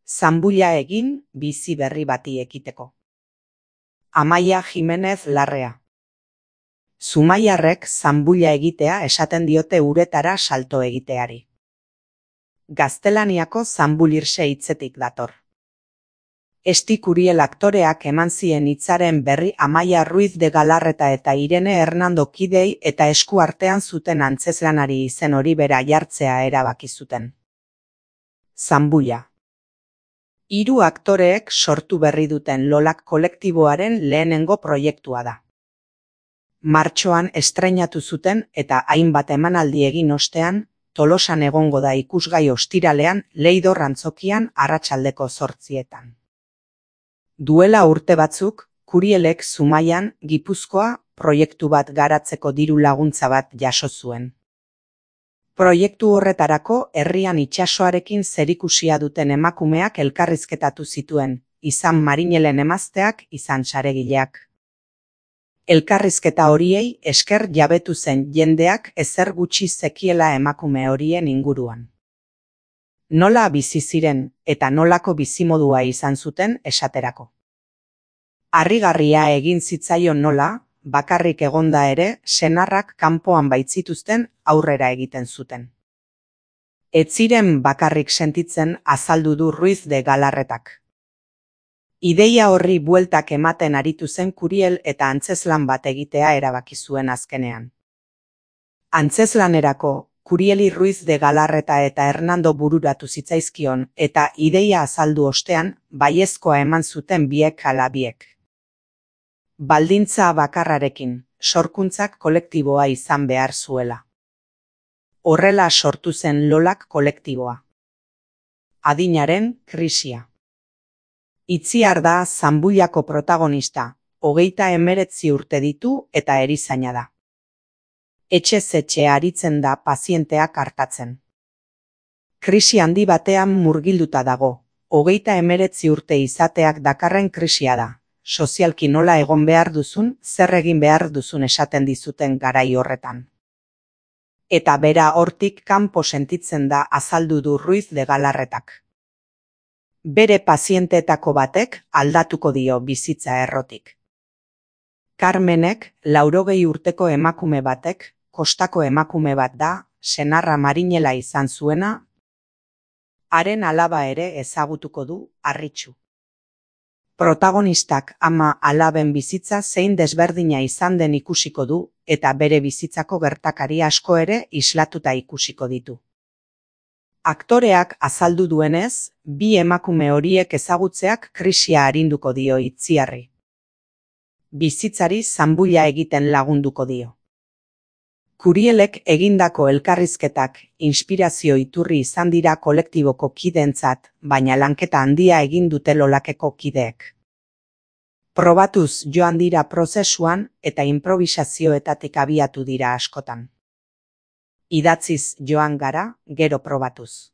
Zanbulla egin bizi berri bati ekiteko. Amaia Jimenez Larrea. Zumaiarrek zanbulla egitea esaten diote uretara salto egiteari. Gaztelaniako zanbulirse hitzetik dator. Esti Curiel aktoreak eman zien hitzaren berri Amaia Ruiz de Galarreta eta Irene Hernando kidei eta esku artean zuten antzezlanari izen hori bera jartzea erabaki zuten. Zanbulla. 3 aktoreek sortu berri duten Lolak kolektiboaren lehenengo proiektua da. Martxoan estreinatu zuten eta hainbat emanaldi egin ostean, Tolosan egongo da ikusgai ostiralean Leidor antzokian arratsaldeko 8:00. Duela urte batzuk, Curielek Zumaian, Gipuzkoa, proiektu bat garatzeko diru laguntza bat jaso zuen. Proiektu horretarako herrian itsasoarekin zerikusia duten emakumeak elkarrizketatu zituen, izan marinelen emazteak, izan saregileak. Elkarrizketa horiei esker jabetu zen jendeak ezer gutxi zekiela emakume horien inguruan. Nola bizi ziren eta nolako bizimodua izan zuten esaterako. Harrigarria egin zitzaion nola, bakarrik egonda ere, senarrak kanpoan baitzituzten aurrera egiten zuten. Ez ziren bakarrik sentitzen azaldu du Ruiz de Galarretak. Ideia horri bueltak ematen aritu zen Curiel eta antzezlan bat egitea erabaki zuen azkenean. Antzezlanerako, Curieli Ruiz de Galarreta eta Hernando bururatu zitzaizkion eta ideia azaldu ostean baiezkoa eman zuten biek ala biek. Baldintza bakarrarekin, sorkuntzak kolektiboa izan behar zuela. Horrela sortu zen Lolak kolektiboa. Adinaren krisia. Itziar da Zanbullako protagonista, 39 urte ditu eta erizaina da. Etxez etxe aritzen da pazienteak artatzen. Krisi handi batean murgilduta dago, 39 urte izateak dakarren krisia da. Sozialki nola egon behar duzun, zer egin behar duzun esaten dizuten garai horretan. Eta bera hortik kanpo sentitzen da azaldu du Ruiz de Galarretak. Bere pazienteetako batek aldatuko dio bizitza errotik. Carmenek, 80 urteko emakume batek, kostako emakume bat da, senarra marinela izan zuena, haren alaba ere ezagutuko du, harritsu. Protagonistak ama alaben bizitza zein desberdina izan den ikusiko du, eta bere bizitzako gertakari asko ere islatuta ikusiko ditu. Aktoreak azaldu duenez, 2 emakume horiek ezagutzeak krisia arinduko dio Itziarri. Bizitzari zanbulla egiten lagunduko dio. Curielek egindako elkarrizketak inspirazio iturri izan dira kolektiboko kideentzat, baina lanketa handia egin dute Lolakeko kideek. Probatuz joan dira prozesuan eta improvisazioetatik abiatu dira askotan. Idatziz joan gara, gero probatuz.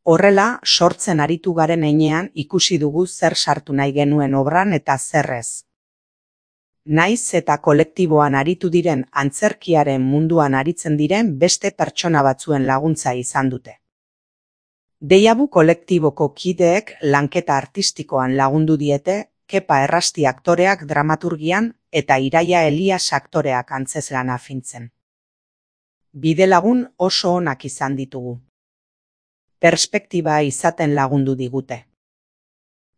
Horrela, sortzen aritu garen heinean ikusi dugu zer sartu nahi genuen obran eta zer ez. Naiz eta kolektiboan aritu diren antzerkiaren munduan aritzen diren beste pertsona batzuen laguntza izan dute. Deiabu kolektiboko kideek lanketa artistikoan lagundu diete, Kepa Errasti aktoreak dramaturgian eta Iraia Elias aktoreak antzezlana fintzen. Bidelagun oso onak izan ditugu. Perspektiba izaten lagundu digute.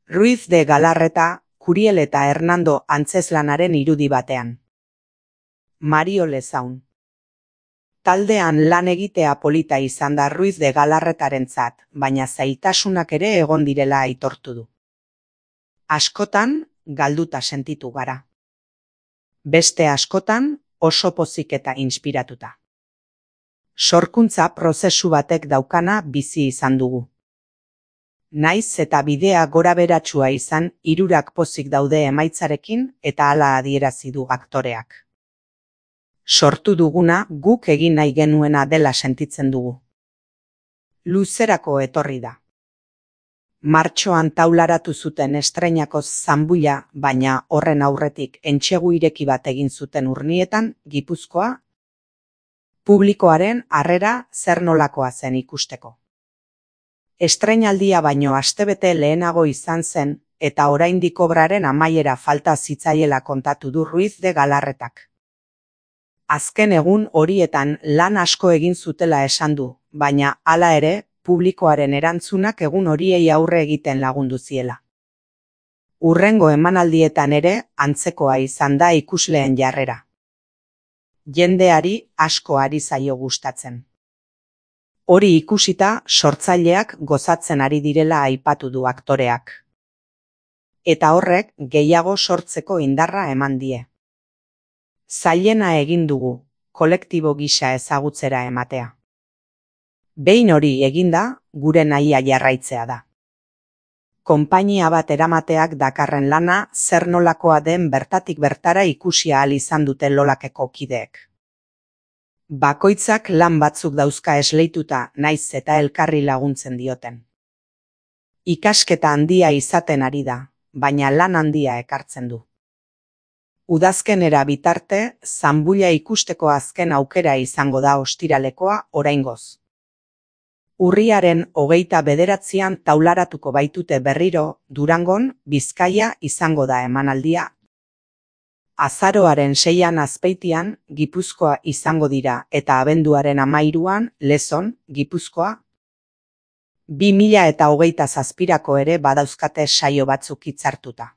Ruiz de Galarreta, Curiel eta Hernando antzezlanaren irudi batean. Mario Lezaun. Taldean lan egitea polita izan da Ruiz de Galarretarentzat, baina zailtasunak ere egon direla aitortu du. Askotan, galduta sentitu gara. Beste askotan, oso pozik eta inspiratuta. Sorkuntza prozesu batek daukana bizi izan dugu. Naiz eta bidea gorabeheratsua izan, 3 pozik daude emaitzarekin eta hala adierazi du aktoreak. Sortu duguna guk egin nahi genuena dela sentitzen dugu. Luzerako etorri da. Martxoan taularatu zuten estreinako Zanbulla, baina horren aurretik entsegu ireki bat egin zuten Urnietan, Gipuzkoa, publikoaren harrera zer nolakoa zen ikusteko. Estreinaldia baino astebete lehenago izan zen, eta oraindik obraren amaiera falta zitzaiela kontatu du Ruiz de Galarretak. Azken egun horietan lan asko egin zutela esan du, baina hala ere, publikoaren erantzunak egun horiei aurre egiten lagundu ziela. Hurrengo emanaldietan ere, antzekoa izan da ikusleen jarrera. Jendeari asko ari zaio gustatzen. Hori ikusita, sortzaileak gozatzen ari direla aipatu du aktoreak. Eta horrek gehiago sortzeko indarra eman die. Zailena egin dugu, kolektibo gisa ezagutzera ematea. Behin hori eginda, gure nahia jarraitzea da. Konpainia bat eramateak dakarren lana zer nolakoa den bertatik bertara ikusi ahal izan dute Lolakeko kideek. Bakoitzak lan batzuk dauzka esleituta naiz eta elkarri laguntzen dioten. Ikasketa handia izaten ari da, baina lan handia ekartzen du. Udazkenera bitarte, zanbulla ikusteko azken aukera izango da ostiralekoa oraingoz. Urriaren 29an taularatuko baitute berriro, Durangon, Bizkaia izango da emanaldia. Azaroaren 6an Azpeitian, Gipuzkoa izango dira eta abenduaren 13an Lezon, Gipuzkoa. 2027ko ere badauzkate saio batzuk hitzartuta.